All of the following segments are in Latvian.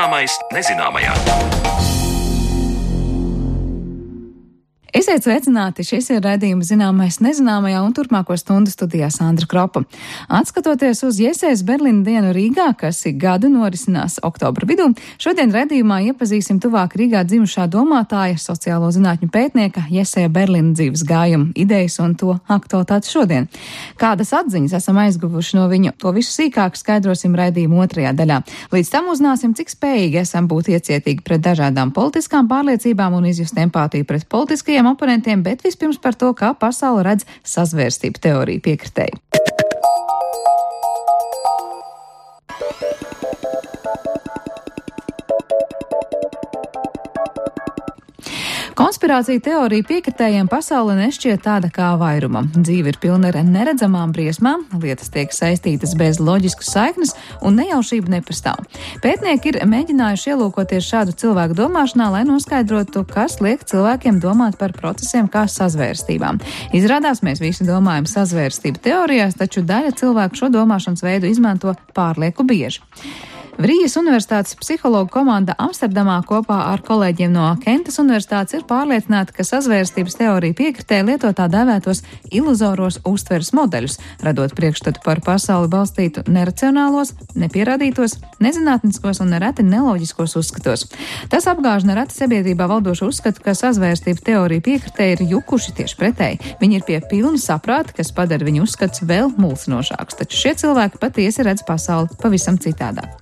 Zināmais nezināmajā. Esiet sveicināti, šis ir raidījums Zināmais nezināmajā un turpmāko stundu studijā Sandra Kropa. Atskatoties uz Jesejas Berlīna dienu Rīgā, kas ik gadu norisinās oktobra vidū, šodien raidījumā iepazīsim tuvāk Rīgā dzimušā domātāja, sociālo zinātņu pētnieka Jeseja Berlīna dzīves gājumu, idejas un to aktualitāti šodien. Kādas atziņas esam aizguvuši no viņu, to visu sīkāk skaidrosim raidījuma otrajā daļā. Līdz tam uzzināsim, cik spējīgi esam būt iecietīgi pret dažādām politiskām pārliecībām un izjust empātiju pret politiskajiem oponentiem, bet vispirms par to, kā pasaule redz sazvērstību teoriju piekritēju. Konspirācija teorija piekritējiem pasaule nešķiet tāda kā vairuma. Dzīve ir pilna ar neredzamām briesmām, lietas tiek saistītas bez loģiskas saiknes un nejaušība nepastāv. Pētnieki ir mēģinājuši ielūkoties šādu cilvēku domāšanā, lai noskaidrotu, kas liek cilvēkiem domāt par procesiem kā sazvērstībām. Izrādās, mēs visi domājam sazvērstību teorijās, taču daļa cilvēku šo domāšanas veidu izmanto pārlieku bieži. Vrijas Universitātes psihologu komanda Amsterdamā kopā ar kolēģiem no Kentas Universitātes ir pārliecināta, ka sazvērstības teorija piekritē lieto tā dēvētos iluzoros uztveres modeļus, radot priekšstatu par pasauli balstītu neracionālos, nepierādītos, nezinātniskos un nereti neloģiskos uzskatos. Tas apgāž nereti sabiedrībā valdošu uzskatu, ka sazvērstības teorija piekritē ir jukuši tieši pretēji. Viņi ir pie pilna saprāta, kas padara viņu uzskats vēl mulsinošāks, taču šie cilvēki patiesi redz pasauli pavisam citādāk.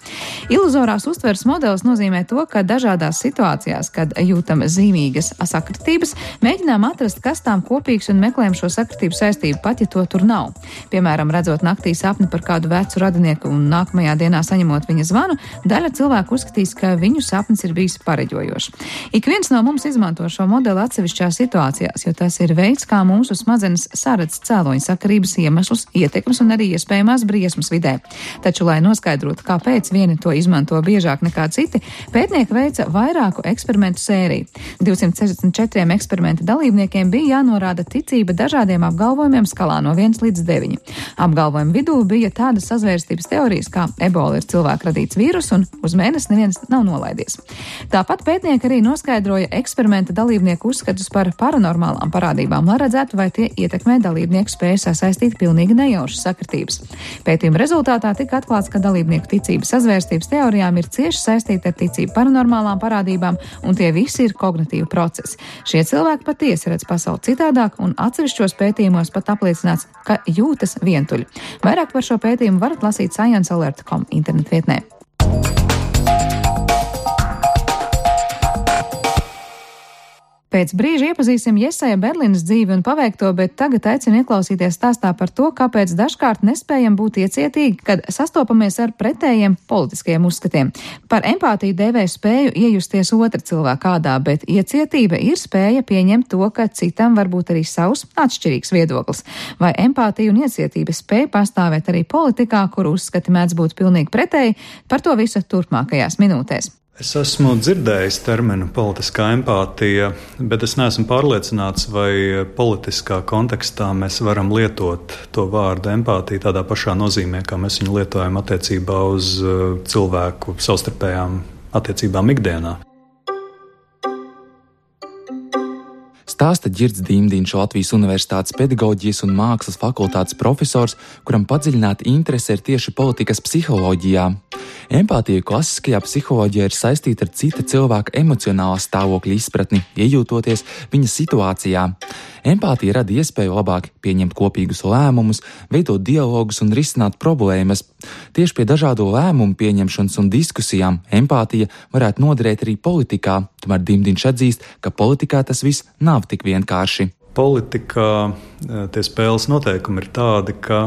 Iluzorās uztveres modelis nozīmē to, ka dažādās situācijās, kad jūtam zīmīgas sakritības, mēģinām atrast, kas tām kopīgs un meklējam šo sakritību saistību, pat ja to tur nav. Piemēram, redzot naktī sapni par kādu vecu radinieku un nākamajā dienā saņemot viņa zvanu, daļa cilvēku uzskatīs, ka viņu sapnis ir bijis pareģojošs. Ik viens no mums izmanto šo modeli atsevišķās situācijās, jo tas ir veids, kā mūsu smadzenes saredz cēloņu sakarības iemeslus, ietekmes un arī iespējamās briesmas vidē. Taču, lai noskaidrotu, kāpēc vieni to izmanto biežāk nekā citi, pētnieki veica vairāku eksperimentu sēriju. 264 eksperimenta dalībniekiem bija jānorāda ticība dažādiem apgalvojumiem skalā no 1 līdz 9. Apgalvojumu vidū bija tādas sazvērstības teorijas, kā ebola ir cilvēku radīts vīrus un uz mēnesi neviens nav nolaidies. Tāpat pētnieki arī noskaidroja eksperimenta dalībnieku uzskatus par paranormālām parādībām, lai redzētu, vai tie ietekmē dalībnieku spēju sasaistīt pilnīgi nejaušas sakritības. Pētījuma rezultātā tika atklāts, ka dalībnieku ticība sazvērstības teorijām ir cieši saistīta ar ticību paranormālām parādībām, un tie visi ir kognitīvi procesi. Šie cilvēki patiesi redz pasauli citādāk, un atsevišķos pētījumos pat apliecināts, ka jūtas vientuļi. Vairāk par šo pētījumu varat lasīt sciencealert.com internetvietnē. Pēc brīža iepazīsim Jeseja Berlīnas dzīvi un paveikto, bet tagad aicinu ieklausīties stāstā par to, kāpēc dažkārt nespējam būt iecietīgi, kad sastopamies ar pretējiem politiskiem uzskatiem. Par empātiju dēvē spēju iejusties otra cilvēka ādā, bet iecietība ir spēja pieņemt to, ka citam var būt arī savs atšķirīgs viedoklis. Vai empātija un iecietība spēja pastāvēt arī politikā, kur uzskati mēdz būt pilnīgi pretēji, par to visu turpmākajās minūtēs. Es esmu dzirdējis terminu politiskā empātija, bet es neesmu pārliecināts, vai politiskā kontekstā mēs varam lietot to vārdu empātija tādā pašā nozīmē, kā mēs viņu lietojam attiecībā uz cilvēku savstarpējām attiecībām ikdienā. Stāsta Ģirds Dimdiņš, Latvijas Universitātes pedagoģijas un mākslas fakultātes profesors, kuram padziļināta interese ir tieši politikas psiholoģijā. Empātija klasiskajā psiholoģijā ir saistīta ar cita cilvēka emocionālā stāvokļa izpratni, iejūtoties viņa situācijā. Empātija rada iespēju labāk pieņemt kopīgus lēmumus, veidot dialogus un risināt problēmas. Tieši pie dažādo lēmumu pieņemšanas un diskusijām empātija varētu noderēt arī politikā, tomēr Dimdiņš atzīst, ka politikā tas viss nav tik vienkārši. Politikā tie spēles noteikumi ir tādi, ka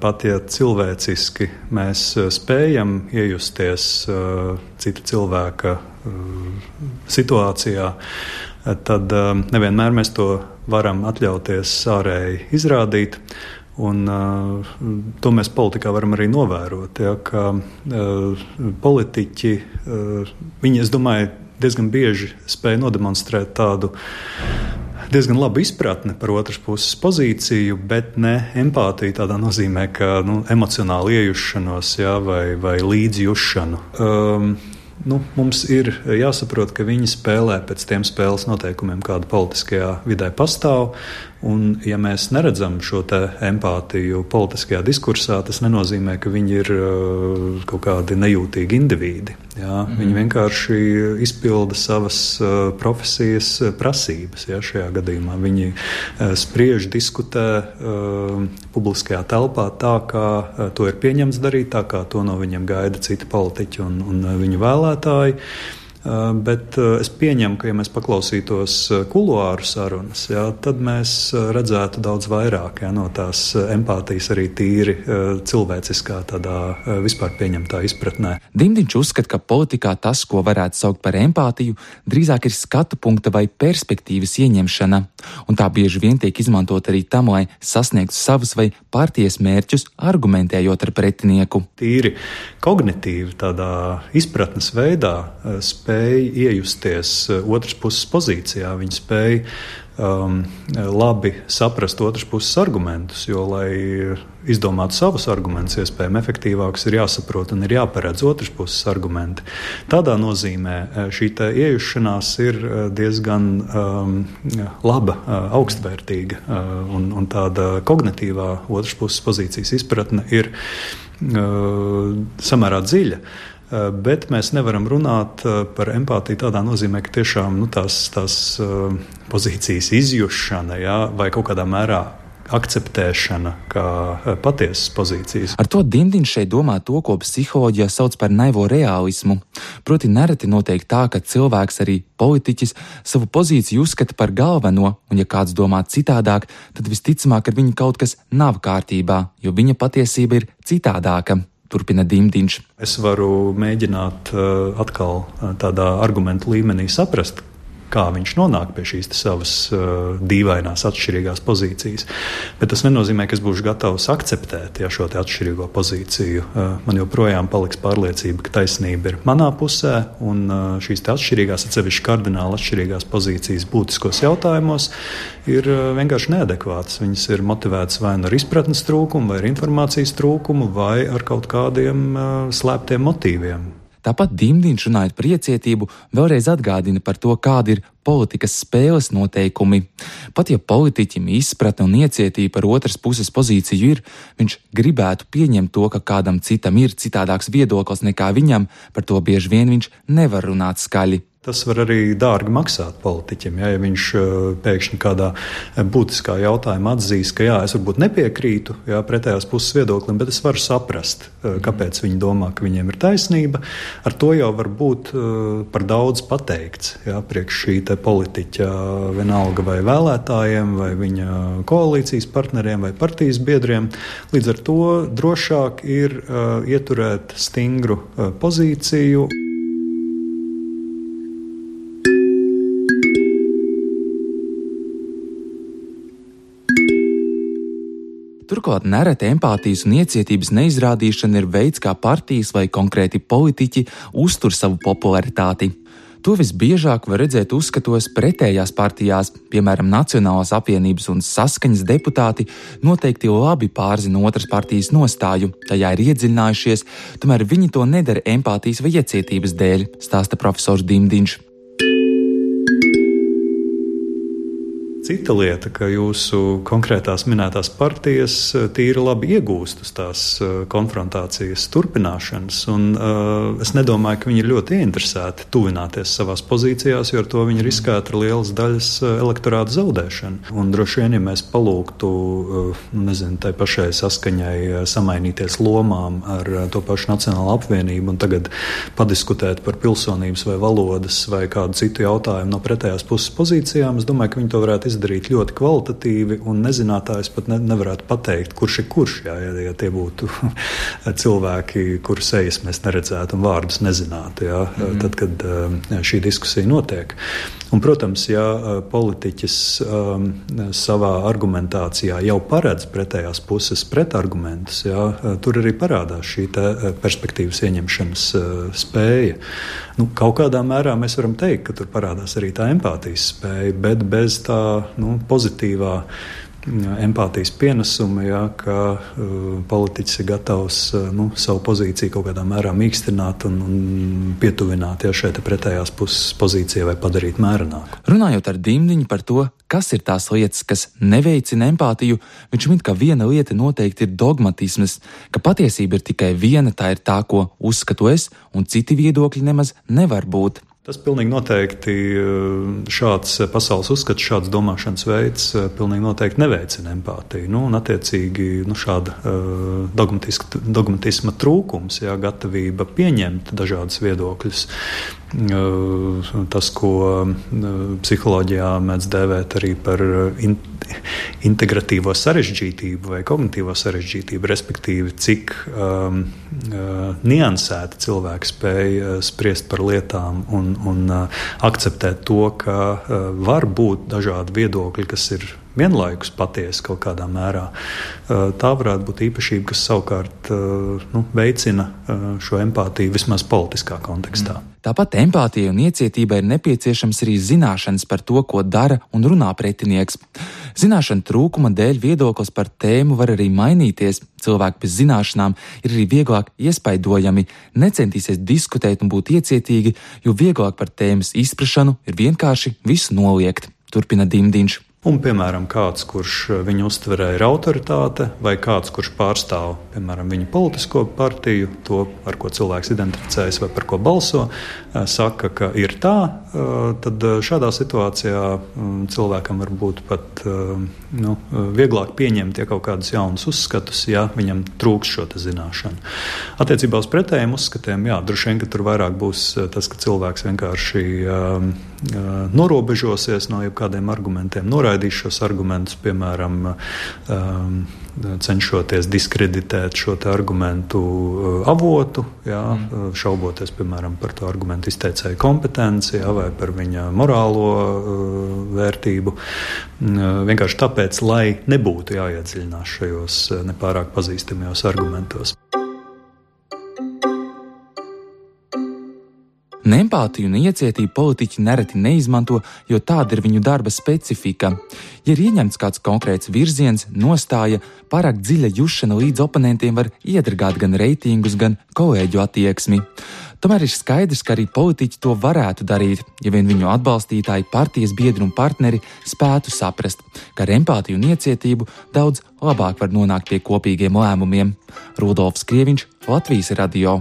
pat ja cilvēciski mēs spējam iejusties cita cilvēka situācijā, tad nevienmēr mēs to varam atļauties ārēji izrādīt. Un to mēs politikā varam arī novērot, ja, ka politiķi, viņi, es domāju, diezgan bieži spēja nodemonstrēt tādu diezgan labu izpratni par otras puses pozīciju, bet ne empātiju tādā nozīmē, ka emocionāli iejušanos, ja, vai līdzjūšanu. mums ir jāsaprot, ka viņi spēlē pēc tiem spēles noteikumiem, kāda politiskajā vidē pastāv. Un, ja mēs neredzam šo empātiju politiskajā diskursā, tas nenozīmē, ka viņi ir kaut kādi nejūtīgi indivīdi. Jā? Viņi vienkārši izpilda savas profesijas prasības. Jā, šajā gadījumā viņi spriež, diskutē publiskajā telpā tā, kā to ir pieņemts darīt, tā kā to no viņiem gaida citi politiķi un viņu vēlētāji. Bet es pieņemu, ka, ja mēs paklausītos kuluāru sarunas, jā, tad mēs redzētu daudz vairāk no tās empātijas arī tīri cilvēciskā, tādā vispār pieņemtā izpratnē. Dimdiņš uzskata, ka politikā tas, ko varētu saukt par empātiju, drīzāk ir skatu punkta vai perspektīvas ieņemšana, un tā bieži vien tiek izmantot arī tam, lai sasniegtu savus vai partijas mērķus, argumentējot ar pretinieku. Tīri kognitīvi tādā izpratnes veidā spēja iejusties otras puses pozīcijā. Viņi spēja labi saprast otras puses argumentus, jo, lai izdomātu savus argumentus, iespējami efektīvākus, ir jāsaprot un ir jāparedz otras puses argumenti. Tādā nozīmē šī iejušanās ir diezgan laba, augstvērtīga, un tāda kognitīvā otras puses pozīcijas izpratne ir samērā dziļa. Bet mēs nevaram runāt par empātiju tādā nozīmē, ka tiešām tās pozīcijas izjušana, jā, vai kaut kādā mērā akceptēšana kā patiesas pozīcijas. Ar to Dimdiņš šeit domā to, ko psiholoģijā sauc par naivo reālismu. Proti nereti notiek tā, ka cilvēks, arī politiķis, savu pozīciju uzskata par galveno, un ja kāds domā citādāk, tad visticamāk ar viņu kaut kas nav kārtībā, jo viņa patiesība ir citādāka. Turpina Dimdiņš. Es varu mēģināt atkal tādā argumentu līmenī saprast, kā viņš nonāk pie šīs savas dīvainās, atšķirīgās pozīcijas. Bet tas nenozīmē, ka es būšu gatavs akceptēt šo atšķirīgo pozīciju. Man joprojām paliks pārliecība, ka taisnība ir manā pusē, un šīs atšķirīgās, atsevišķi kardināli atšķirīgās pozīcijas būtiskos jautājumos ir vienkārši neadekvātas. Viņas ir motivētas vai ar izpratnes trūkumu, vai ar informācijas trūkumu, vai ar kaut kādiem slēptiem motīviem. Tāpat Dimdiņš, runājot par iecietību, vēlreiz atgādina par to, kādi ir politikas spēles noteikumi. Pat ja politiķim izpratne un iecietība par otras puses pozīciju ir, viņš gribētu pieņemt to, ka kādam citam ir citādāks viedoklis nekā viņam, par to bieži vien viņš nevar runāt skaļi. Tas var arī dārgi maksāt politiķim, ja viņš pēkšņi kādā būtiskā jautājumā atzīst, ka es varbūt nepiekrītu pretējās puses viedoklim, bet es varu saprast, kāpēc viņi domā, ka viņiem ir taisnība. Ar to jau var būt par daudz pateikts priekš šī politiķa vienalga vai vēlētājiem, vai viņa koalīcijas partneriem vai partijas biedriem. Līdz ar to drošāk ir ieturēt stingru pozīciju. Turklāt nereti empātijas un iecietības neizrādīšana ir veids, kā partijas vai konkrēti politiķi uztur savu popularitāti. To visbiežāk var redzēt uzskatos pretējās partijās, piemēram, Nacionālās apvienības un Saskaņas deputāti noteikti labi pārzina otras partijas nostāju, tajā ir iedziļinājušies, tomēr viņi to nedara empātijas vai iecietības dēļ, stāsta profesors Dimdiņš. Cita lieta, ka jūsu konkrētās minētās partijas tīri labi iegūst uz tās konfrontācijas turpināšanas, un es nedomāju, ka viņi ir ļoti ieinteresēti tuvināties savās pozīcijās, jo ar to viņi riskētu ar lielas daļas elektorāta zaudēšanu. Un droši vien, ja mēs palūgtu, tai pašai Saskaņai samainīties lomām ar to pašu Nacionālo apvienību un tagad padiskutēt par pilsonības vai valodas vai kādu citu jautājumu no pretējās puses pozīcijām, es domāju, ka viņi to varētu izdarīt ļoti kvalitatīvi, un nezinātājs pat nevarētu pateikt, kurš ir kurš, ja tie būtu cilvēki, kuru sejas mēs neredzētu un vārdus nezinātu, tad, kad šī diskusija notiek. Un, protams, ja politiķis savā argumentācijā jau paredz pretējās puses pretargumentus, tur arī parādās šī perspektīvas ieņemšanas spēja. Kaut kādā mērā mēs varam teikt, ka tur parādās arī tā empātijas spēja, bet bez tā pozitīvā empātijas pienesumi, jā, ka politiķis ir gatavs savu pozīciju kaut kādā mērā mīkstināt un pietuvināt šai pretējās puses pozīcijai vai padarīt mērenāku. Runājot ar Dimdiņu par to, kas ir tās lietas, kas neveicina empātiju, viņš min, ka viena lieta noteikti ir dogmatisms, ka patiesība ir tikai viena, tā ir tā, ko uzskatu es, un citi viedokļi nemaz nevar būt. Tas pilnīgi noteikti šāds pasaules uzskats, šāds domāšanas veids pilnīgi noteikti neveicina empātiju. Un attiecīgi šāda dogmatisma trūkums, gatavība pieņemt dažādas viedokļus. Tas, ko psiholoģijā mēdz dēvēt arī par integratīvo sarežģītību vai kognitīvo sarežģītību, respektīvi, cik niansēti cilvēki spēj spriest par lietām un akceptēt to, ka var būt dažādi viedokļi, kas ir vienlaikus patiesi kaut kādā mērā. Tā varētu būt īpašība, kas savukārt veicina šo empātiju vismaz politiskā kontekstā. Tāpat empātija un iecietība ir nepieciešams arī zināšanas par to, ko dara un runā pretinieks. Zināšanu trūkuma dēļ viedoklis par tēmu var arī mainīties. Cilvēki bez zināšanām ir arī vieglāk iespaidojami, necentīsies diskutēt un būt iecietīgi, jo vieglāk par tēmas izprašanu ir vienkārši visu noliegt. Turpina Dimdiņš. Un, piemēram, kāds, kurš viņu uztverē ir autoritāte, vai kāds, kurš pārstāv, piemēram, viņa politisko partiju, to, ar ko cilvēks identificējas vai par ko balso, saka, ka ir tā, tad šādā situācijā cilvēkam var būt pat vieglāk pieņemt kaut kādus jaunus uzskatus, ja viņam trūks šo zināšanu. Attiecībā uz pretējiem uzskatiem, droši vien, ka tur vairāk būs tas, ka cilvēks vienkārši norobežosies no jebkādiem argumentiem, noraidīs šos argumentus, piemēram, cenšoties diskreditēt šo argumentu avotu, šauboties, piemēram, par to argumentu izteicēju kompetenci, vai par viņa morālo vērtību. Vienkārši tāpēc, lai nebūtu jāiedziļinās šajos nepārāk pazīstamajos argumentos. Empātiju un iecietību politiķi nereti neizmanto, jo tāda ir viņu darba specifika. Ja ir ieņemts kāds konkrēts virziens, nostāja, pārāk dziļa jušana līdz oponentiem var iedragāt gan reitingus, gan kolēģu attieksmi. Tomēr ir skaidrs, ka arī politiķi to varētu darīt, ja vien viņu atbalstītāji, partijas biedri un partneri spētu saprast, ka ar empātiju un iecietību daudz labāk var nonākt pie kopīgiem lēmumiem. Rudolfs Krieviņš, Latvijas radio.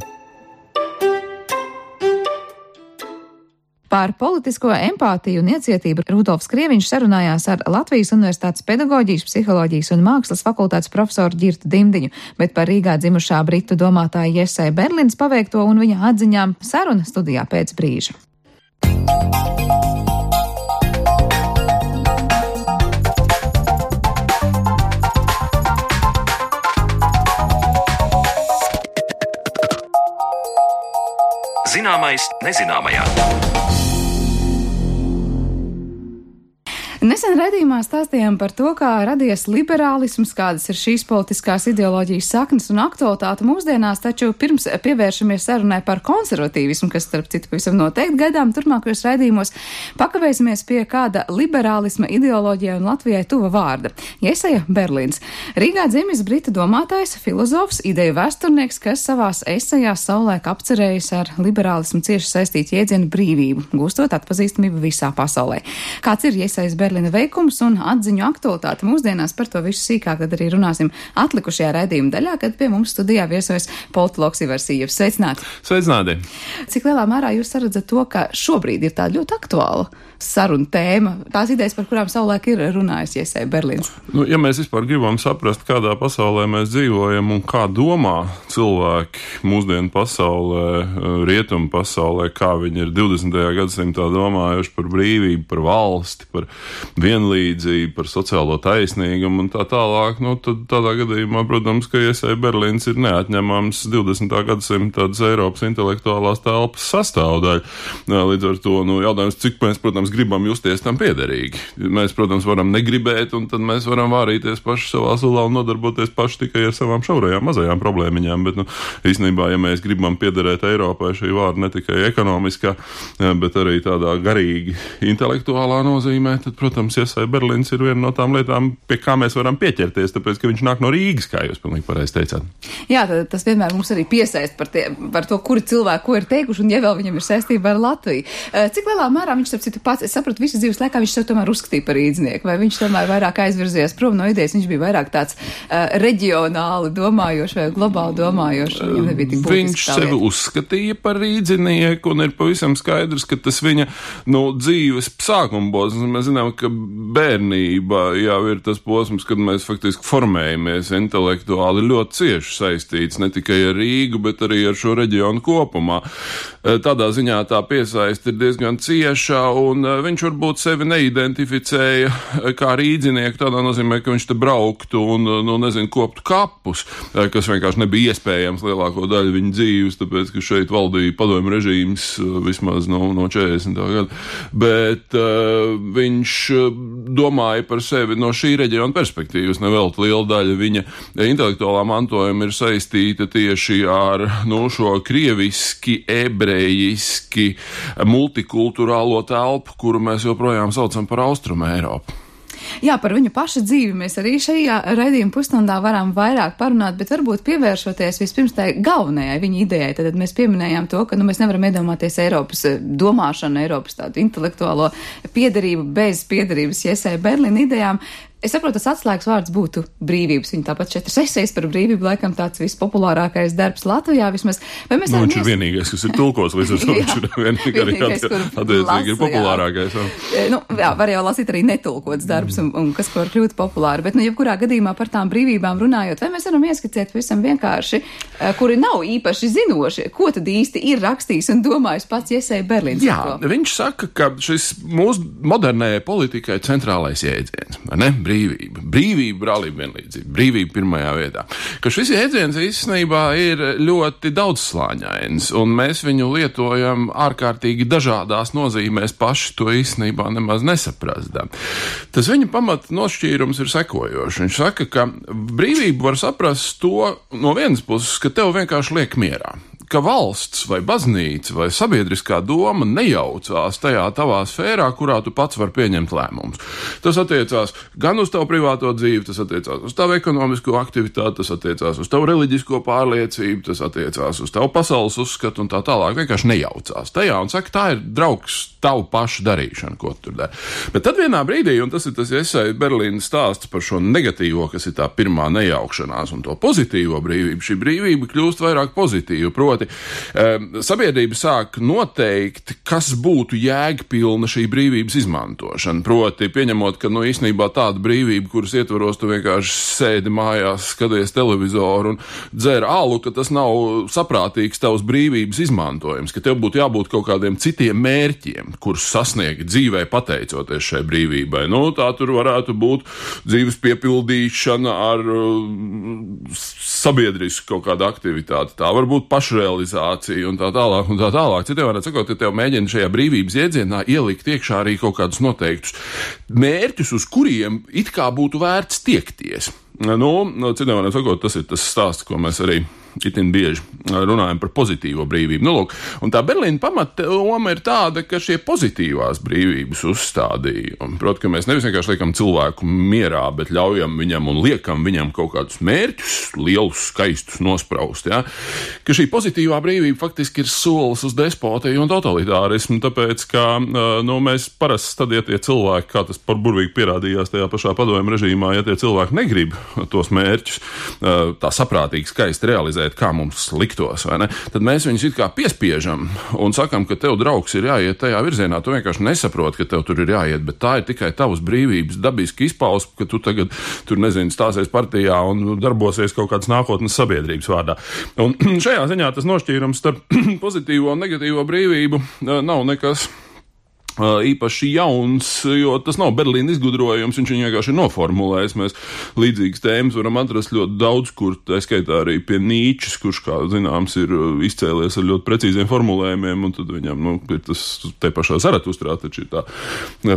Par politisko empātiju un iecietību Rudolfs Krieviņš sarunājās ar Latvijas Universitātes pedagoģijas, psiholoģijas un mākslas fakultātes profesoru Ģirtu Dimdiņu, bet par Rīgā dzimušā britu domātāja Jesai Berlins paveikto un viņa atziņām saruna studijā pēc brīža. Zināmais nezināmajā. Nesen raidījumā stāstījām par to, kā radies liberālisms, kādas ir šīs politiskās ideoloģijas saknes un aktualitāte mūsdienās, taču pirms pievēršamies sarunai par konservatīvismu, kas starp citu pavisam noteikti gaidām turpmākajos raidījumos, pakavēsimies pie kāda liberālisma ideoloģijai un Latvijai tuva vārda - Jesaja Berlins. Rīgā dzimis britu domātājs, filozofs, ideju vēsturnieks, kas savās esejās savulaik apcerējis ar liberālismu cieši saistītu jēdzienu brīvību, gūstot atpazīstamību visā pasaulē. Kāds ir Jesajas Berlins veikums un atziņu aktualitāte mūsdienās, par to visu sīkāk tad arī runāsim atlikušajā raidījuma daļā, kad pie mums studijā viesojas politologs Ivars Ījevs. Sveicināti! Sveicināti! Cik lielā mērā jūs saredzat to, ka šobrīd ir tāda ļoti aktuāla saruna tēma, tās idejas, par kurām savulaik ir runājis Jesaja Berlins? Ja mēs vispār gribam saprast, kādā pasaulē mēs dzīvojam un kā domā cilvēki mūsdienu pasaulē, rietumu pasaulē, kā viņi ir 20. gadsimtā domājuši par brīvību, par valsti, par vienlīdzību, par sociālo taisnīgumu un tā tālāk, tad tādā gadījumā, protams, ka Jesaja Berlins ir neatņemams 20. gadsimta Eiropas intelektuālās telpas sastāvdaļa. Līdz ar to, jautājums, cik mēs, protams, gribam justies tam piederīgi. Mēs, protams, varam negribēt, un tad mēs varam vārīties paši savā sulā un nodarboties paši tikai ar savām šaurajām mazajām problēmiņām, bet, īstenībā, ja mēs gribam piederēt Eiropai, šī vārda ne tikai ekonomiskā, bet arī tādā garīgi intelektuālā nozīmē, tad, protams, Iesai Berlins ir viena no tām lietām, pie kā mēs varam pieķerties, tāpēc, ka viņš nāk no Rīgas, kā jūs pilnīgi pareizi teicāt. Jā, tas vienmēr mums arī piesaist par to, kuri cilvēki ko ir teikuši, un ja vēl viņam ir saistība ar Latviju. Cik lielā mērā viņš, starp citu, pats, es sapratu, visas dzīves laikā viņš sev tomēr uzskatīja par rīdznieku, vai viņš tomēr vairāk aizvirzījās prom no idejas, viņš bija vairāk tāds reģionāli domājošs vai globāli domājošs, viņam nebija tik būtiski. Viņš sevi uzskatīja par rīdzinieku, un ir pavisam skaidrs, ka tas viņa, dzīves sākuma posms. Mēs zinām, ka bērnība jau ir tas posms, kad mēs faktiski formējamies intelektuāli ļoti cieši saistīts ne tikai ar Rīgu, bet arī ar šo reģionu kopumā. Tādā ziņā tā piesaiste ir diezgan cieša, un viņš varbūt sevi neidentificēja kā rīdzinieku, tādā nozīmē, ka viņš te brauktu un koptu kapus, kas vienkārši nebija iespējams lielāko daļu viņa dzīves, tāpēc, ka šeit valdīja padomju režīms vismaz no 40. gada. Bet viņš domāja par sevi no šī reģiona perspektīvas. Nevēlt liela daļa viņa intelektuālā mantojuma ir saistīta tieši ar šo krieviski, ebrejiski, multikulturālo telpu, kuru mēs joprojām saucam par Austrumu Eiropu. Jā, par viņu pašu dzīvi mēs arī šajā raidījuma pusstundā varam vairāk parunāt, bet varbūt pievēršoties vispirms tai galvenajai viņa idejai. Tad mēs pieminējām to, ka mēs nevaram iedomāties Eiropas domāšanu, Eiropas tādu intelektuālo piederību bez piederības Iesai Berlina idejām. Es saprotu, tas atslēgas vārds būtu brīvības. Viņa tāpat 4 esejas par brīvību, laikam tāds vispopulārākais darbs Latvijā vismaz. Vai mēs viņš ir vienīgais, kas ir tulkos, līdz ar to viņš ir vienīgais, attiecīgi ir populārākais. Jā, var jau lasīt arī netulkots darbs un kas var kļūt populāri, bet jebkurā gadījumā par tām brīvībām runājot, vai mēs varam ieskicēt visam vienkārši, kuri nav īpaši zinoši, ko tad īsti ir rakstījis un domājis pats Iesai Berlins? Jā, viņš saka, ka šis mūsu modernējai politikai centrālais jēdziens, vai ne? Brīvība, brālība, vienlīdzība, brīvība pirmajā vietā. Ka šis jēdziens īstenībā ir ļoti daudzslāņains, un mēs viņu lietojam ārkārtīgi dažādās nozīmēs, paši to īstenībā nemaz nesaprastam. Tas viņa pamata nošķīrums ir sekojošs. Viņš saka, ka brīvību var saprast to no vienas puses, ka tev vienkārši liek mierā. Ka valsts vai baznīca vai sabiedriskā doma nejaucās tajā tavā sfērā, kurā tu pats var pieņemt lēmumus. Tas attiecās gan uz tavu privāto dzīvi, tas attiecās uz tavu ekonomisko aktivitāti, tas attiecās uz tavu reliģisko pārliecību, tas attiecās uz tavu pasaules uzskatu un tā tālāk. Vienkārši nejaucās tajā un saka, tā ir draugs tavu pašu darīšana, ko tu tur dari. Bet tad vienā brīdī, un tas ir tas Iesai Berlīnas stāsts par šo negatīvo, kas ir tā pirmā nejaukšanās un to pozitīvo brīvību, šī brīvība kļūst vairāk pozitīva. Proti, sabiedrība sāk noteikt, kas būtu jēgpilna šī brīvības izmantošana. Proti, pieņemot, ka īstenībā tāda brīvība, kuras ietvaros tu vienkārši sēdi mājās, skaties televizoru un dzer alu, ka tas nav saprātīgs tavs brīvības izmantojums, ka tev būtu jābūt kaut kādiem citiem mērķiem, kurus sasniegt dzīvē pateicoties šai brīvībai. Tā tur varētu būt dzīves piepildīšana ar sabiedrisku kaut kādu aktivitāti. Tā var būt pašrealizācija un tā tālāk un tā tālāk. Citiem varētu sakot, ja tev mēģina šajā brīvības iedzienā ielikt iekšā arī kaut kādus noteiktus mērķus, uz kuriem it kā būtu vērts tiekties. Citiem varētu sakot, tas ir tas stāsts, ko mēs arī itin bieži runājam par pozitīvo brīvību. Un tā Berlīna pamatdoma ir tāda, ka šie pozitīvās brīvības uzstādījumi, proti, ka mēs nevis vienkārši liekam cilvēku mierā, bet ļaujam viņam un liekam viņam kaut kādus mērķus, lielus, skaistus nospraust, ja? Ka šī pozitīvā brīvība faktiski ir solis uz despotiju un totalitārismu, tāpēc, ka mēs parasti tad, ja tie cilvēki, kā tas par burvīgi pierādījās tajā pašā padomju režīmā, ja tie cilvēki negrib tos mērķus tā saprātīgi skaisti realizēt, kā mums liktos, vai ne? Tad mēs viņus it kā piespiežam un sakam, ka tev draugs ir jāiet tajā virzienā. Tu vienkārši nesaproti, ka tev tur ir jāiet, bet tā ir tikai tavas brīvības dabiski izpausme, ka tu tagad tur, stāsies partijā un darbosies kaut kādas nākotnes sabiedrības vārdā. Un šajā ziņā tas nošķīrums starp pozitīvo un negatīvo brīvību nav nekas īpaši jauns, jo tas nav Berlīna izgudrojums, viņš viņu vienkārši ir noformulējis. Mēs līdzīgas tēmas varam atrast ļoti daudz, kur tā skaitā arī pie Nīčes, kurš, kā zināms, ir izcēlies ar ļoti precīziem formulējumiem, un tad viņam, ir tas te pašā Zaratustrā, taču ir tā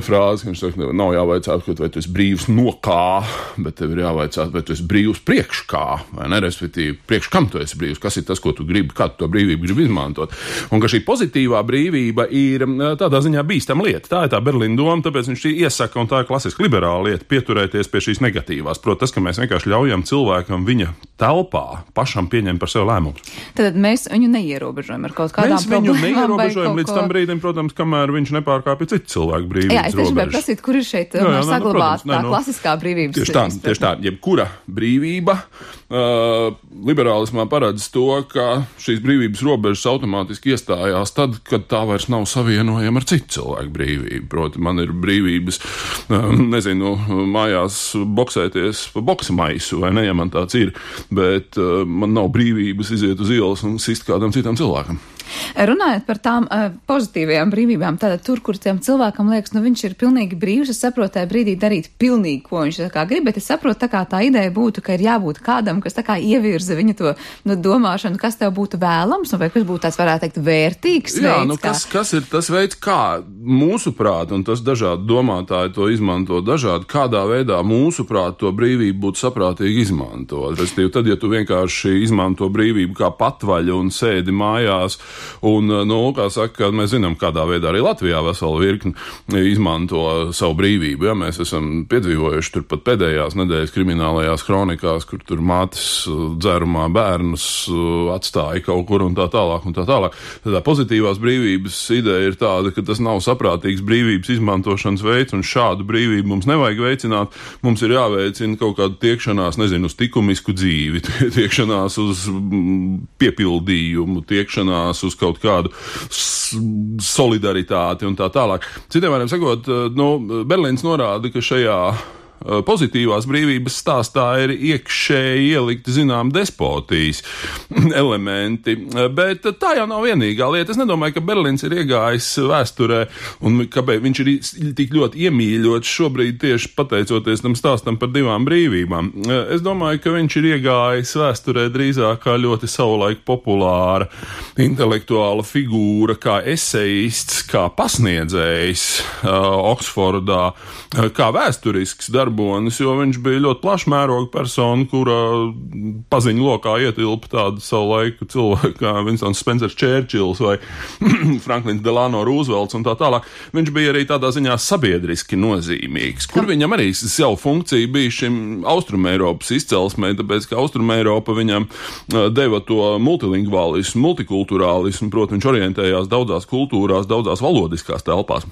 frāze, ka viņš saka, nav jāvaicāt, vai tu esi brīvs no kā, bet tev ir jāvaicāt, vai tu esi brīvs priekš kā, vai ne, respektīvi, priekš kam tu esi brīvs, kas ir tas, ko tu gribi, kā tu to brīvību gribi izmantot. Un ka šī pozitīvā brīvība ir tādā ziņā bīstama bīstama lieta. Tā ir tā Berlīna doma, tāpēc viņš iesaka, un tā ir klasiski liberāla lieta, pieturēties pie šīs negatīvās. Protams, tas, ka mēs vienkārši ļaujam cilvēkam viņa telpā pašam pieņemt par sevi lēmumus. Tad mēs viņu neierobežojam ar kaut kādām problēmām. Mēs viņu neierobežojam līdz tam brīdim, protams, kamēr viņš nepārkāpja citu cilvēku brīvības robežas. Jā, es tieši gribēju prasīt, kur ir šeit saglabāta tā klasiskā brīvības. Tieši tā, jebkura brīvība liberālismā paredz to, ka šīs brīvības robežas automātiski iestājās tad, kad tā vairs nav savienojama ar citu cilvēku brīvību. Proti, man ir brīvības, mājās boksēties pa boksa maisu, vai ne, ja man tāds ir, bet man nav brīvības iziet uz ielas un sist kādam citam cilvēkam. Runājot par tām pozitīvajām brīvībām, tātad tur, kur tiem cilvēkam liekas, viņš ir pilnīgi brīvs, es saprotu, tajā brīdī darīt pilnīgi, ko viņš grib, bet es saprotu, tā ideja būtu, ka ir jābūt kādam, kas ievirza viņa to domāšanu, kas tev būtu vēlams, vai kas būtu tāds, varētu teikt, vērtīgs veids. Kas ir tas veids, kā mūsuprāt, un tas dažādi domātāji to izmanto dažādi, kādā veidā mūsuprāt to brīvību būtu saprātīgi izmantot. Restīvi, tad, ja tu vienkārši izmanto brīvību kā patvaļu un sēdi mājās, un, kā saka, mēs zinām, kādā veidā arī Latvijā vesela virkni izmanto savu brīvību. Ja? Mēs esam piedzīvojuši tur pat pēdējās nedēļas kriminālajās kronikās, kur tur mātes dzērumā bērnus atstāja kaut kur un tā tālāk un tā tālāk. Tā pozitīvās brīvības ideja ir tāda, ka tas nav saprātīgs brīvības izmantošanas veids, un šādu brīvību mums nevajag veicināt. Mums ir jāveicina kaut kāda tiekšanās, uz likumisku dzīvi, tiekšanās uz piepildījumu, tiekšanās uz kaut kādu solidaritāti un tā tālāk. Citiem vārdiem sakot, Berlīns norāda, ka šajā pozitīvās brīvības stāstā ir iekšēji ielikti, despotijas elementi, bet tā jau nav vienīgā lieta. Es nedomāju, ka Berlīns ir iegājis vēsturē un kāpēc viņš ir tik ļoti iemīļots šobrīd tieši pateicoties tam stāstam par divām brīvībām. Es domāju, ka viņš ir iegājis vēsturē drīzāk kā ļoti savulaik populāra intelektuāla figūra, kā esejists, kā pasniedzējs Oksfordā, kā vēsturisks darbonis, jo viņš bija ļoti plašmēroga persona, kura paziņu lokā ietilpa tādu savu laiku cilvēku kā Winstons Spencers Churchills vai Franklins Delano Roosevelts un tā tālāk. Viņš bija arī tādā ziņā sabiedriski nozīmīgs, kur viņam arī savu funkciju bija šim Austrumeiropas izcelsmē, tāpēc, ka Austrumeiropa viņam deva to multilingvālismu, multikulturālismu, proti viņš orientējās daudzās kultūrās, daudzās valodiskās telpās.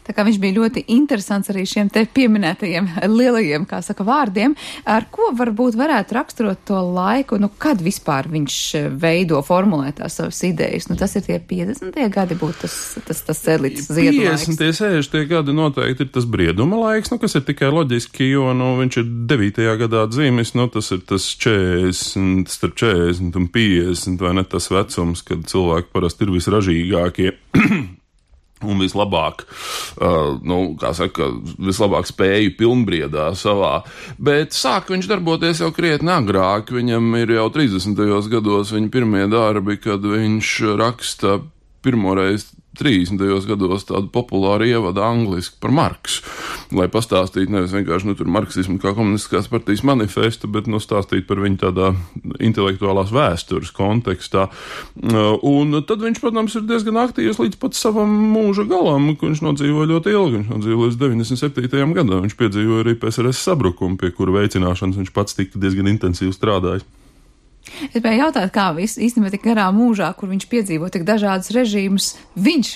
Tā kā viņš bija ļoti interesants arī šiem te pieminētajiem lielajiem, kā saka, vārdiem, ar ko varbūt varētu raksturot to laiku, kad vispār viņš veido, formulē tās savas idejas. Tas ir tie 50. gadi būtu tas elites ziedu laiks. 50. 60. gadi noteikti ir tas brieduma laiks, kas ir tikai loģiski, jo viņš ir 9. gadā dzīvis, tas ir tas 40, starp 40 un 50, vai ne tas vecums, kad cilvēki parasti ir visražīgākie. Un vislabāk, vislabāk spēju pilnbriedā savā. Bet sāk viņš darboties jau krietni agrāk. Viņam ir jau 30. gados viņa pirmie darbi, kad viņš raksta pirmoreiz 30. gados tādu populāru ievadu angliski par Marksu, lai pastāstītu nevis vienkārši tur marksismu kā komunistiskās partijas manifestu, bet stāstītu par viņu tādā intelektuālās vēstures kontekstā. Un tad viņš, protams, ir diezgan aktīvs līdz pat savam mūža galam, ko viņš nodzīvoja ļoti ilgi. Viņš nodzīvoja līdz 97. gadā. Viņš piedzīvoja arī PSRS sabrukumu, pie kura veicināšanas viņš pats tika diezgan intensīvi strādājis. Es gribēju jautāt, kā īstenībā tik garā mūžā, kur viņš piedzīvo tik dažādas režīmus, viņš,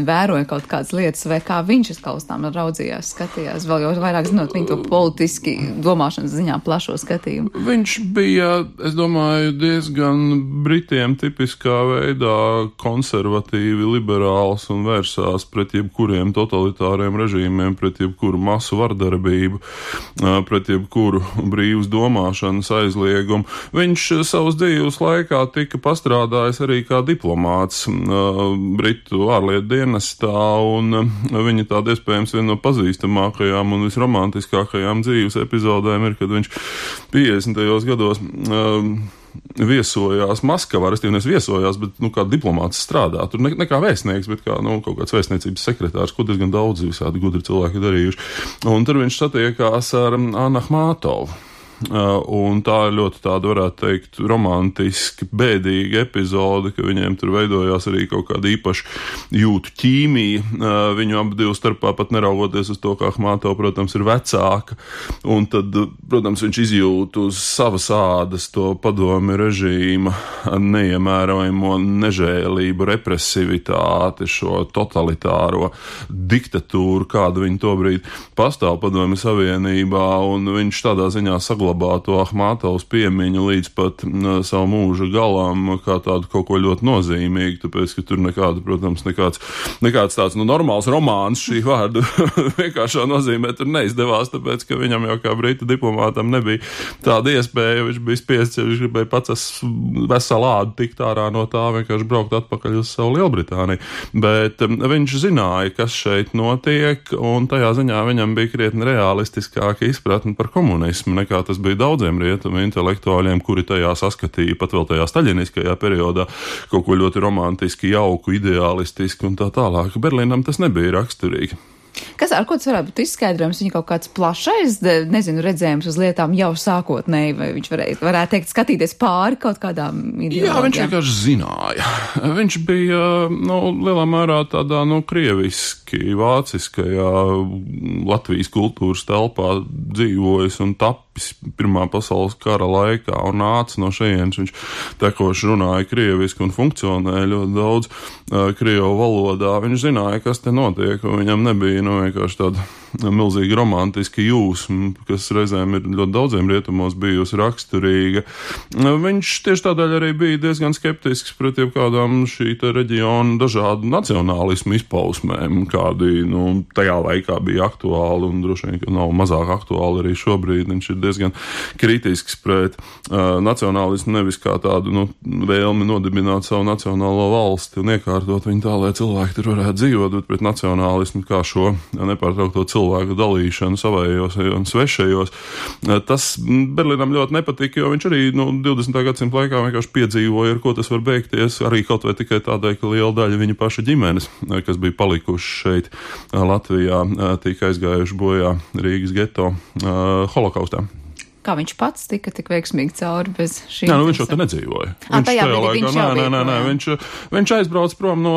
vēroja kaut kādas lietas, vai kā viņš uz kaustām raudzījās, skatījās, vēl jau vairāk zinot viņu to politiski domāšanas ziņā plašo skatījumu. Viņš bija, es domāju, diezgan Britiem tipiskā veidā konservatīvi, liberāls un vērsās pret jebkuriem totalitāriem režīmiem, pret jebkuru masu vardarbību, pret jebkuru brīvas domāšanas aizliegumu. Viņš savas dzīves laikā tika pastrādājis arī kā diplomāts Britu ārlietu dienestā, un viņa tāda iespējams viena no pazīstamākajām un visromantiskākajām dzīves epizodēm ir, kad viņš 50. gados viesojās Maskavā, respektīvi viesojās, bet kā diplomāts strādā. Tur ne kā vēstnieks, bet kā kaut kāds vēstniecības sekretārs, ko diezgan daudz visādi gudri cilvēki darījuši. Un tur viņš satiekās ar Annu Ahmātovu. Un tā ir ļoti tāda, varētu teikt, romantiski, bēdīga epizode, ka viņiem tur veidojās arī kaut kāda īpaša jūtu ķīmija. Viņu abu divu starpā pat neraugoties uz to, ka Ahmatova, protams, ir vecāka. Un tad, protams, viņš izjūt uz savas ādas to padomju režīma neiemērojamo nežēlību, represivitāti, šo totalitāro diktatūru, kāda viņa tobrīd pastāv Padomju Savienībā, un viņš tādā ziņā saglabā to Ahmatovas piemiņu līdz pat savu mūža galam kā tādu kaut ko ļoti nozīmīgu, tāpēc, ka tur nekāda, protams, nekāds tāds normāls romāns šī vārda vienkāršā nozīmē tur neizdevās, tāpēc, ka viņam jau kā brita diplomātam nebija tāda iespēja, viņš bija spiests, ja viņš gribēja pats veselu ādu tikt ārā no tā, vienkārši braukt atpakaļ uz savu Lielbritāniju. Bet viņš zināja, kas šeit notiek, un tajā ziņā viņam bija krietni realistiskāka izpratne par komunismu, nekā tas bija daudziem rietumu intelektuāļiem, kuri tajā saskatīja pat vēl tajā staļiniskajā periodā kaut ko ļoti romantiski, jauku, ideālistiski un tā tālāk. Berlīnam tas nebija raksturīgi. Ar ko tas varētu būt izskaidrojums? Viņa kaut kāds plašais, redzējums uz lietām jau sākotnēji, vai viņš varētu teikt, skatīties pāri kaut kādām ideoloģijām? Jā, viņš vienkārši zināja. Viņš bija, lielā mērā tādā, krieviski, vāciskajā Latvijas kultūras telpā dzīvojis un tapis Pirmā pasaules kara laikā un nāca no šejienes. Viņš tekoši runāja krieviski un funkcionēja ļoti daudz krievu valodā. Viņš zināja, kas te notiek, un viņam nebija vienkārši tāda milzīga romantiska jūsma, kas reizēm ir ļoti daudziem rietumos bijusi raksturīga. Viņš tieši tādēļ arī bija diezgan skeptisks pret jebkādām šī reģiona dažādu nacionālismu izpausmēm, kādi tajā laikā bija aktuāli un droši vien, ka nav mazāk aktuāli arī šobrīd. Viņš ir diezgan kritisks pret nacionālismu, nevis kā tādu vēlmi nodibināt savu nacionālo valsti un iekārtot viņu tā, lai cilvēki tur varētu dzīvot, bet pret nacionālismu kā šo nepārtraukto cilvēku dalīšanu savējos un svešajos. Tas Berlīnam ļoti nepatika, jo viņš arī 20. gadsimta laikā vienkārši piedzīvoja, ar ko tas var beigties, arī kaut vai tikai tādēļ, ka liela daļa viņa paša ģimenes, kas bija palikuši šeit Latvijā, tika aizgājuši bojā Rīgas geto holokaustā. Kā viņš pats tika tik veiksmīgi cauri bez šī? Jā, viņš jau te nedzīvoja. Viņš aizbrauc prom no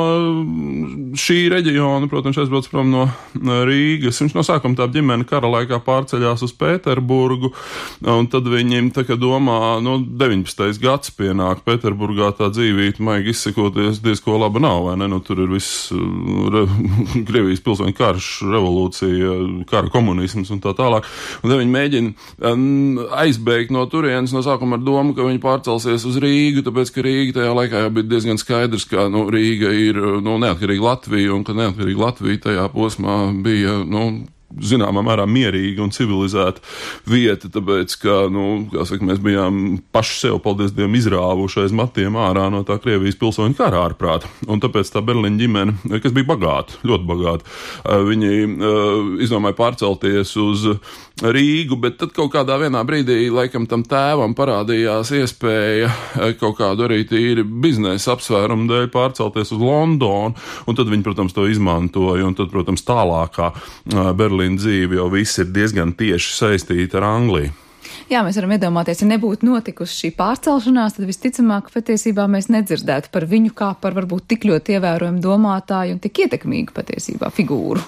šī reģiona, protams, aizbrauc prom no Rīgas. Viņš no sākuma tā ģimene kara laikā pārceļās uz Pēterburgu, un tad viņiem tā kā domā, 19. gads pienāk Pēterburgā, tā dzīvība, maigi izsakoties, diezko laba nav, vai ne? Tur ir viss Krievijas pilsoņu karš, revolūcija, kara komunisms un tā tālāk. Un tad viņi mēģina aizbēgt no turienes no sākuma ar domu, ka viņi pārcelsies uz Rīgu, tāpēc, ka Rīga tajā laikā jau bija diezgan skaidrs, ka Rīga ir neatkarīga Latvija, un ka neatkarīga Latvija tajā posmā bija, zināmā mērā mierīga un civilizēta vieta, tāpēc, ka, mēs bijām paši sev, paldies Dievam, izrāvuši aiz matiem ārā no tā Krievijas pilsoņu kara ārprāta. Un tāpēc tā Berlīņa ģimene, kas bija bagāta, ļoti bagāta, viņi izdomāja pārcelties uz Rīgu, bet tad kaut kādā vienā brīdī, laikam, tam tēvam parādījās iespēja kaut kādu arī tīri biznesa apsvērumu dēļ pārcelties uz Londonu, un tad viņi, protams, to izmantoja, un tad, protams, tālākā Berlīna dzīve jau viss ir diezgan tieši saistīta ar Angliju. Jā, mēs varam iedomāties, ja nebūtu notikusi šī pārcelšanās, tad visticamāk patiesībā mēs nedzirdētu par viņu kā par varbūt tik ļoti ievērojumu domātāju un tik ietekmīgu patiesībā figūru.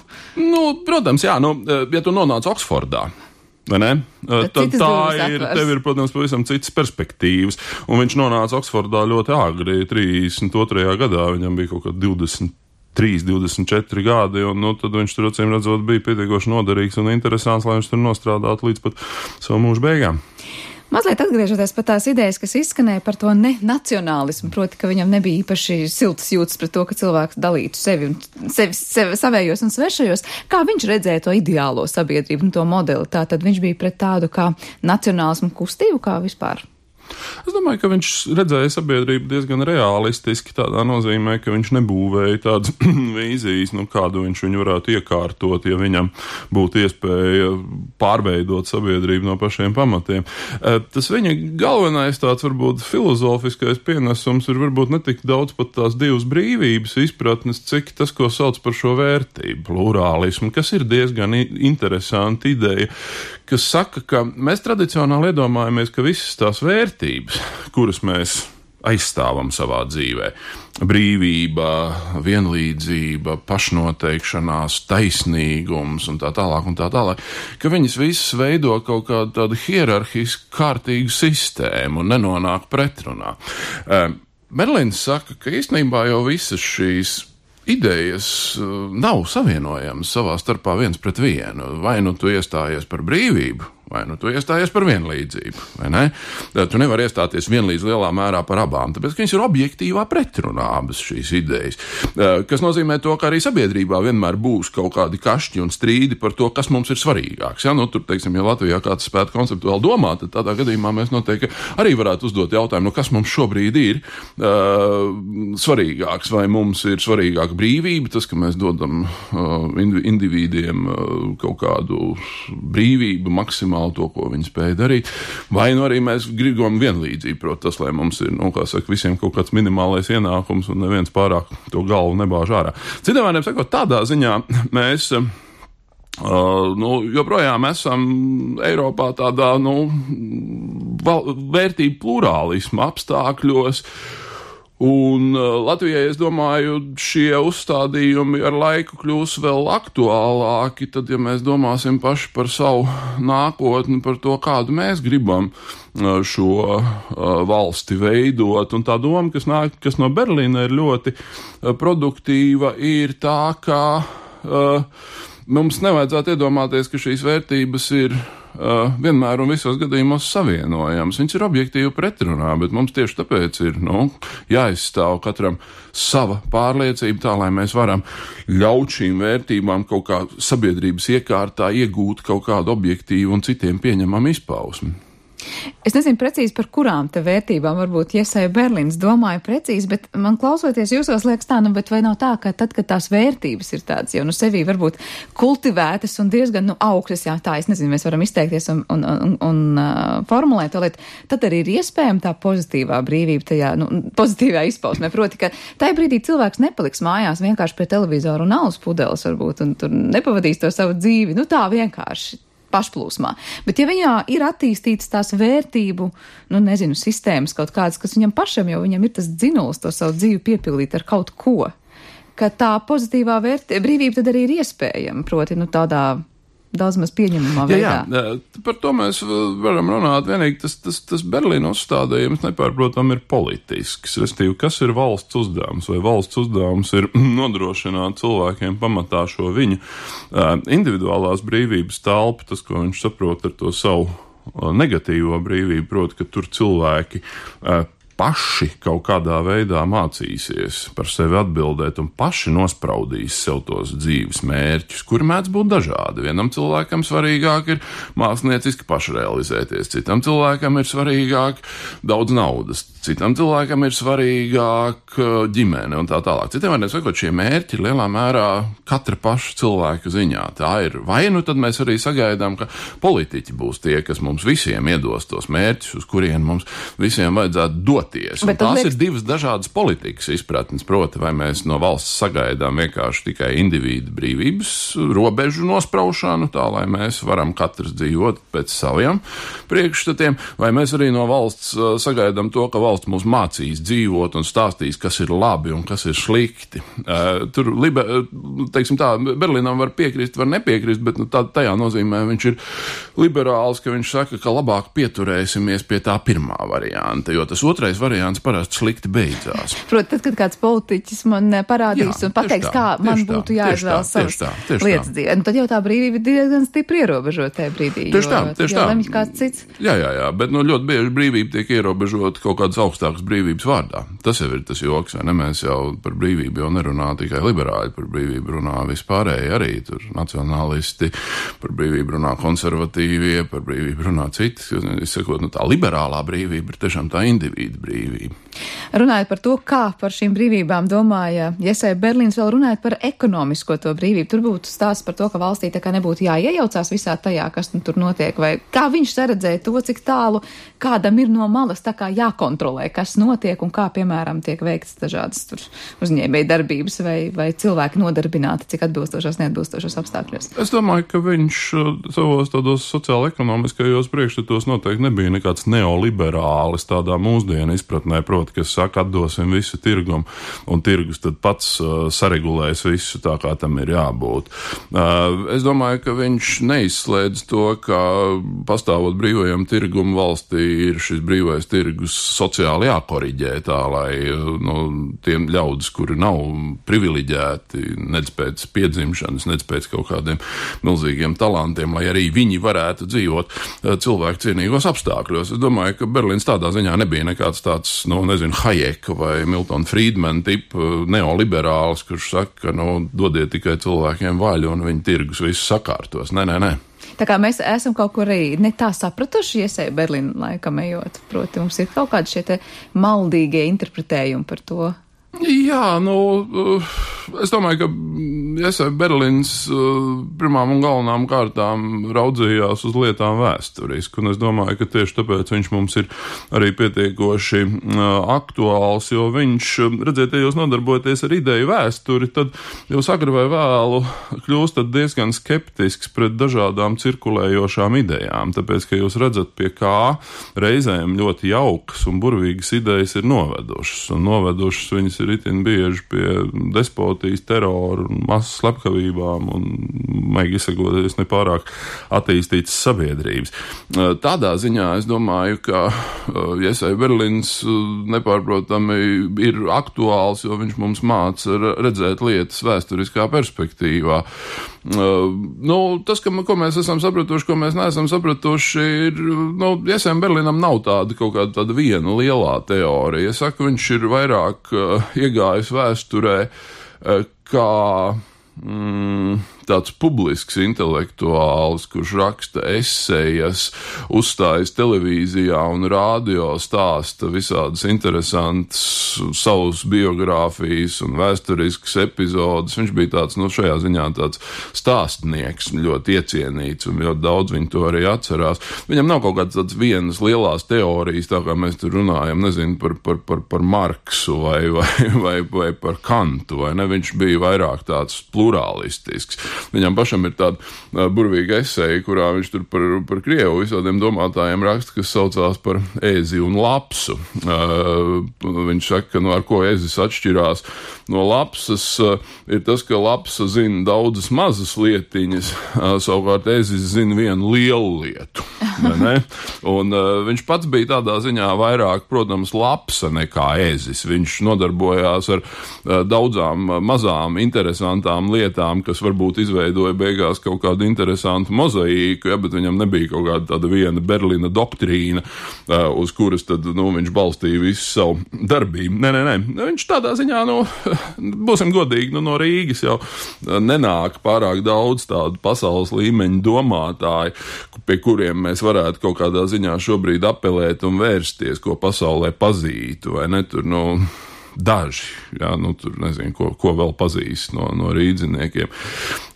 Protams, jā, ja tu nonāc Oksfordā, vai ne? Tad tev ir, protams, pavisam citas perspektīvas. Un viņš nonāca Oksfordā ļoti agri, 32. gadā, viņam bija kaut kā 23-24 gadi, un tad viņš tur, acīm redzot, bija pietiekoši noderīgs un interesants, lai viņš tur nostrādātu līdz pat savu mūžu beigām. Mazliet atgriežoties par tās idejas, kas izskanēja par to nenacionālismu, proti, ka viņam nebija īpaši siltas jūtas pret to, ka cilvēks dalītu sevi savējos un svešajos. Kā viņš redzēja to ideālo sabiedrību un to modeli? Tātad viņš bija pret tādu kā nacionālismu kustību, kā vispār? Es domāju, ka viņš redzēja sabiedrību diezgan realistiski, tādā nozīmē, ka viņš nebūvēja tādas vīzijas, kādu viņš viņu varētu iekārtot, ja viņam būtu iespēja pārveidot sabiedrību no pašiem pamatiem. Tas viņa galvenais tāds varbūt filozofiskais pienesums ir varbūt netik daudz pat tās divas brīvības izpratnes, cik tas, ko sauc par šo vērtību, plurālismu, kas ir diezgan interesanti ideja, kas saka, ka mēs tradicionāli iedomājamies, ka visas tās vērtības, kuras mēs aizstāvam savā dzīvē, brīvība, vienlīdzība, pašnoteikšanās, taisnīgums un tā tālāk, ka viņas visas veido kaut kādu tādu hierarhisku kārtīgu sistēmu un nenonāk pretrunā. Berlīns saka, ka īstenībā jau visas šīs idejas nav savienojamas savā starpā viens pret vienu. Vai nu tu iestājies par brīvību, vai nu tu iestājies par vienlīdzību, vai ne? Tu nevari iestāties vienlīdz lielā mērā par abām, tāpēc, ka viņas ir objektīvā pretrunā abas šīs idejas. Kas nozīmē to, ka arī sabiedrībā vienmēr būs kaut kādi kašķi un strīdi par to, kas mums ir svarīgāks. Ja? Nu, tur, teiksim, ja Latvijā kāds spētu konceptuāli domāt, tad tādā gadījumā mēs noteikti arī varētu uzdot jautājumu, kas mums šobrīd ir svarīgāks, vai mums ir svarīgāka brīvība, tas, ka mēs dodam individiem kaut kādu brīvību maksimāli to, ko viņi spēja darīt, vai nu arī mēs gribam vienlīdzību, proti tas, lai mums ir, kā saka, visiem kaut kāds minimālais ienākums un neviens pārāk to galvu nebāž ārā. Citiem vārdiem sakot, tādā ziņā mēs joprojām esam Eiropā tādā, vērtību plurālisma apstākļos. Un Latvijai, es domāju, šie uzstādījumi ar laiku kļūs vēl aktuālāki, tad, ja mēs domāsim paši par savu nākotni, par to, kādu mēs gribam šo valsti veidot. Un tā doma, kas no Berlīna ir ļoti produktīva, ir tā, ka mums nevajadzētu iedomāties, ka šīs vērtības ir vienmēr un visos gadījumos savienojams. Viņas ir objektīvi pretrunā, bet mums tieši tāpēc ir jāizstāv katram sava pārliecība tā, lai mēs varam ļaut šīm vērtībām kaut kā sabiedrības iekārtā iegūt kaut kādu objektīvu un citiem pieņemamu izpausmi. Es nezinu precīzi, par kurām te vērtībām varbūt Jesai Berlīns domāja precīzi, bet man klausoties jūsos liekas tā, bet vai nav tā, ka tad, kad tās vērtības ir tādas jau sevī varbūt kultivētas un diezgan augšas, es nezinu, mēs varam izteikties un formulēt to lietu, tad arī ir iespējama tā pozitīvā brīvība tajā, pozitīvā izpausmē. Proti, ka tajā brīdī cilvēks nepaliks mājās vienkārši pie televizoru un alus pudeles varbūt, un tur nepavadīs to savu dzīvi, tā vienkārši pašplūsmā. Bet ja viņā ir attīstītas tās vērtību, sistēmas kaut kādas, kas viņam pašam jau viņam ir tas dzinuls to savu dzīvi piepildīt ar kaut ko, ka tā pozitīvā brīvība tad arī ir iespējama, proti, tādā daudz maz pieņemamā veidā. Jā, par to mēs varam runāt. Vienīgi tas Berlīna uzstādījums nepārprotam ir politisks. Restīvi, kas ir valsts uzdevums? Vai valsts uzdevums ir nodrošināt cilvēkiem pamatā šo viņu individuālās brīvības telpu, tas, ko viņš saprot ar to savu negatīvo brīvību, proti, ka tur cilvēki paši kaut kādā veidā mācīsies par sevi atbildēt un paši nospraudīs sev tos dzīves mērķus, kuri mēdz būt dažādi. Vienam cilvēkam svarīgāk ir mākslinieciski pašrealizēties, citam cilvēkam ir svarīgāk daudz naudas, citam cilvēkam ir svarīgāk ģimene un tā tālāk. Citiem vārdiem sakot, šie mērķi ir lielā mērā katra paša cilvēka ziņā. Tā ir vai tad mēs arī sagaidām, ka politiķi būs tie, kas mums visiem iedos tos mērķus, uz kuriem mums visiem vajadzētu dot. Un tās ir divas dažādas politikas izpratnes, proti, vai mēs no valsts sagaidām vienkārši tikai individu brīvības robežu nospraušanu, tā lai mēs varam katrs dzīvot pēc saviem priekšstatiem, vai mēs arī no valsts sagaidām to, ka valsts mūs mācīs dzīvot un stāstīs, kas ir labi un kas ir slikti. Tur, teiksim tā, Berlīnam var piekrist, var nepiekrist, bet tajā nozīmē viņš ir liberāls, ka viņš saka, ka labāk pieturēsimies pie tā pirmā varianta, jo tas otrais variants parasti slikti beidzās. Protams, tad, kad kāds politiķis man parādīs un pateiks, kā man būtu jāizvēl savas lietas dzīvē, tad jau tā brīvība ir diezgan stipri ierobežota tajā brīdī. Tieši tā. Lemj kāds cits. Jā, bet ļoti bieži brīvība tiek ierobežota kaut kādas augstākas brīvības vārdā. Tas jau ir tas joks, vai ne? Mēs jau par brīvību jau nerunā tikai liberāļi, par brīvību runā vispārēji arī, tur nacionālisti, par brīvību runā konservatīvie, par brīvību runā citi. Es sakot, tā liberālā brīvība ir tiešām tā individu brīvība. Runājot par to, kā par šīm brīvībām domāja Jesai Berlīns, vēl runājot par ekonomisko to brīvību. Tur būtu stāsts par to, ka valstī tā kā nebūtu jāiejaucās visā tajā, kas tur notiek, vai kā viņš saredzēja to, cik tālu kādam ir no malas tā kā jākontrolē, kas notiek un kā, piemēram, tiek veikts dažādas tur uzņēmēja darbības vai cilvēki nodarbināti, cik atbilstošos, neatbilstošos apstākļos. Es domāju, ka viņš savos tādos sociāla-ekonomiskajos priekšstatos noteikti nebija nekāds neoliberālis tādā mūsdienu izpratnē, proti, kas saka, atdosim visu tirgumu, un tirgus tad pats saregulēs visu tā, kā tam ir jābūt. Es domāju, ka viņš neizslēdz to, ka pastāvot brīvajam tirgumu valstī ir šis brīvais tirgus sociāli jākoriģē tā, lai tiem ļaudis, kuri nav privileģēti, nec pēc piedzimšanas, nec pēc kaut kādiem milzīgiem talantiem, lai arī viņi varētu dzīvot cilvēku cienīgos apstākļos. Es domāju, ka Berlīns tādā ziņā nebija nekāds tāds, Hayeka vai Milton Friedman tipa neoliberāls, kurš saka, dodiet tikai cilvēkiem vaļu un viņi tirgus visu sakārtos. Nē. Tā kā mēs esam kaut kur arī ne tā sapratuši Jesai Berlīna laikam ejot, proti mums ir kaut kādi šie te maldīgie interpretējumi par to. Jā, es domāju, ka Jesai Berlīns pirmām un galvenām kārtām raudzījās uz lietām vēsturiski, un es domāju, ka tieši tāpēc viņš mums ir arī pietiekoši aktuāls, jo viņš, redziet, ja jūs nodarbojaties ar ideju vēsturi, tad jūs agri vai vēlu kļūstat diezgan skeptisks pret dažādām cirkulējošām idejām, tāpēc, ka jūs redzat, pie kā reizēm ļoti jaukas un burvīgas idejas ir novedušas viņas ir itin bieži pie despotijas, terora un masas slepkavībām un, maigi izsakoties, nepārāk attīstītas sabiedrības. Tādā ziņā es domāju, ka Jesai Berlīns nepārprotami ir aktuāls, jo viņš mums māca redzēt lietas vēsturiskā perspektīvā. Tas, ko mēs esam sapratuši, ko mēs neesam sapratuši, ir, Jesai Berlīnam nav tāda kaut kāda tāda viena lielā teorija. Es saku, viņš ir vairāk iegājis vēsturē kā tāds publisks intelektuāls, kurš raksta esejas, uzstājas televīzijā un rādio, stāsta visādas interesantas savas biogrāfijas un vēsturiskas epizodes. Viņš bija tāds, šajā ziņā tāds stāstnieks, ļoti iecienīts, un ļoti daudz viņu to arī atcerās. Viņam nav kaut kāds tāds vienas lielās teorijas, tā kā mēs tur runājam, nezinu, par Marksu vai par Kantu, vai ne? Viņš bija vairāk tāds plurālistisks. Viņam pašam ir tāda burvīga eseja, kurā viņš tur par Krievu visādiem domātājiem raksta, kas saucās par ezi un lapsu. Viņš saka, ka ar ko ezis atšķirās no lapsas, ir tas, ka lapsa zina daudzas mazas lietiņas, savukārt ezis zina vienu lielu lietu. Un viņš pats bija tādā ziņā vairāk, protams, lapsa nekā ezis. Viņš nodarbojās ar daudzām mazām interesantām lietām, kas varbūt izveidoja beigās kaut kādu interesantu mozaīku, bet viņam nebija kaut kāda tāda viena Berlīna doktrīna, uz kuras tad, viņš balstīja visu savu darbību. Nē. Viņš tādā ziņā, būsim godīgi, no Rīgas jau nenāk pārāk daudz tādu pasaules līmeņa domātāju, pie kuriem mēs varētu kaut kādā ziņā šobrīd apelēt un vērsties, ko pasaulē pazītu, vai ne, tur, daži, tur nezinu, ko vēl pazīst no rīdziniekiem.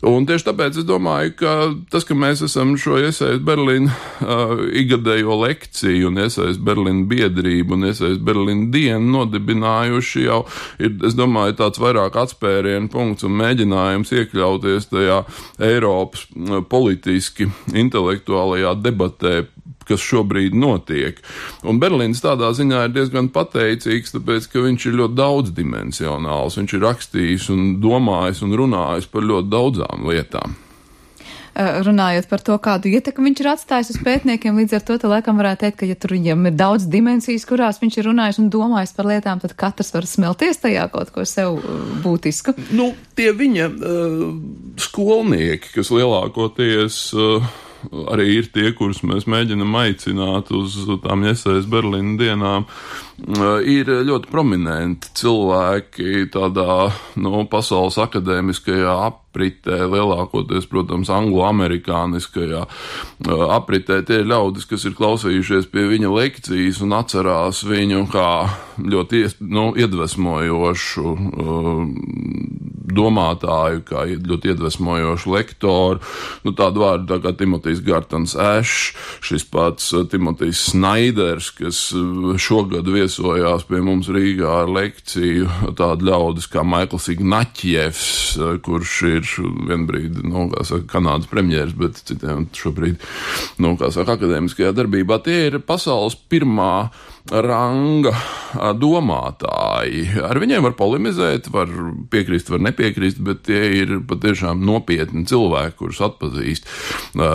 Un tieši tāpēc es domāju, ka tas, ka mēs esam šo Jesai Berlīna igadējo lekciju un Jesai Berlīna biedrību un Jesai Berlīna dienu nodibinājuši jau ir, es domāju, tāds vairāk atspērienu punkts un mēģinājums iekļauties tajā Eiropas politiski intelektuālajā debatē, kas šobrīd notiek. Un Berlīns tādā ziņā ir diezgan pateicīgs, tāpēc, ka viņš ir ļoti daudzdimensionāls. Viņš ir rakstījis un domājis un runājis par ļoti daudzām lietām. Runājot par to, kādu ietekmi viņš ir atstājis uz pētniekiem, līdz ar to laikam varētu teikt, ka ja tur viņam ir daudz dimensijas, kurās viņš ir runājis un domājis par lietām, tad katrs var smelties tajā kaut ko sev būtisku. Tie viņa skolnieki, kas lielākoties arī ir tie, kurus mēs mēģinam aicināt uz tām Iesejas Berlīna dienām, ir ļoti prominenti cilvēki tādā, pasaules akadēmiskajā apritē, lielākoties, protams, anglo-amerikāniskajā apritē. Tie ir ļaudis, kas ir klausījušies pie viņa lekcijas un atcerās viņu kā ļoti iedvesmojošu domātāju, kā ļoti iedvesmojošu lektoru. Tādu vārdu tā kā Timotejs Gartons Ešs, šis pats Timotejs Snaiders, kas šogad viesojās pie mums Rīgā ar lekciju, tādu ļaudis kā Maikls Ignaķjevs, kurš ir vienbrīd, Kanādas premjers, bet citiem šobrīd, akadēmiskajā darbībā. Tie ir pasaules pirmā ranga domātāji. Ar viņiem var polemizēt, var piekrist, var nepiekrist, bet tie ir patiešām nopietni cilvēki, kurus atpazīst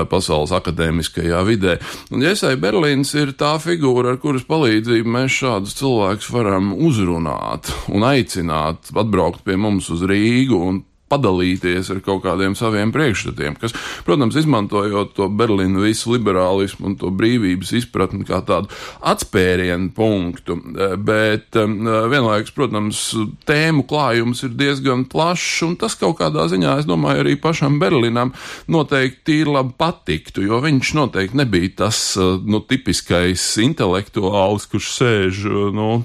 pasaules akadēmiskajā vidē. Un Ieseja Berlīns ir tā figūra, ar kuras palīdzību mēs šādus cilvēkus varam uzrunāt un aicināt atbraukt pie mums uz Rīgu un padalīties ar kaut kādiem saviem priekšstatiem, kas, protams, izmantojot to Berlīnu visu liberālismu un to brīvības izpratni kā tādu atspērienu punktu, bet vienlaikus, protams, tēmu klājums ir diezgan plašs, un tas kaut kādā ziņā, es domāju, arī pašam Berlinam noteikti tīri labi patiktu, jo viņš noteikti nebija tas, tipiskais intelektuālis, kurš sēž,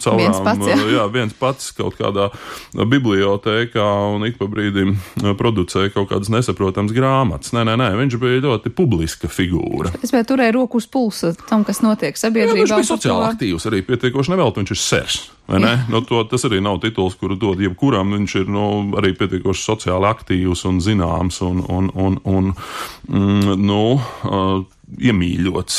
caurām, viens pats kaut kādā bibliotēkā un ik pa brīdim producēja kaut kādas nesaprotams grāmatas. Nē, viņš bija ļoti publiska figūra. Es vēl turēju roku uz pulsa tam, kas notiek sabiedrībā. Viņš bija sociāli aktīvs, arī pietiekoši nevelti, viņš ir sers. Vai ne? Tas arī nav tituls, kuru dod jebkuram, viņš ir arī pietiekoši sociāli aktīvs un zināms un iemīļots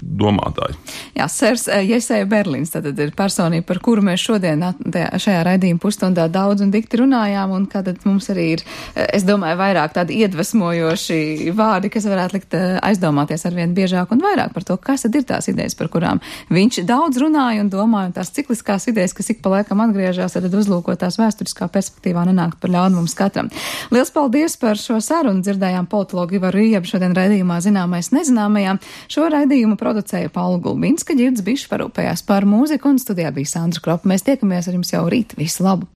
domātāji. Jā, sers Ieseja Berlīns, tad ir personība, par kuru mēs šodien šajā raidījuma pusstundā daudz un dikti runājām, un kad mums arī ir, es domāju, vairāk tādi iedvesmojoši vārdi, kas varētu likt aizdomāties arvien biežāk un vairāk par to, kas tad ir tās idejas, par kurām viņš daudz runāja un domāja, un tās cikliskās idejas, kas ik pa laikam atgriežās, tad uzlūkotās vēsturiskā perspektīvā nenāk par ļaunu mums katram. Liels paldies par šo sarunu, dzirdējām politologu Ivaru Riebu šodien raidījumā Zināmais nezināmajā. Šo raidījumu producēja Paula Gulbinska, Ģirds Bišs parūpējās par mūziku un studijā bija Sandra Kropa. Mēs tiekamies ar jums jau rīt. Visu labu!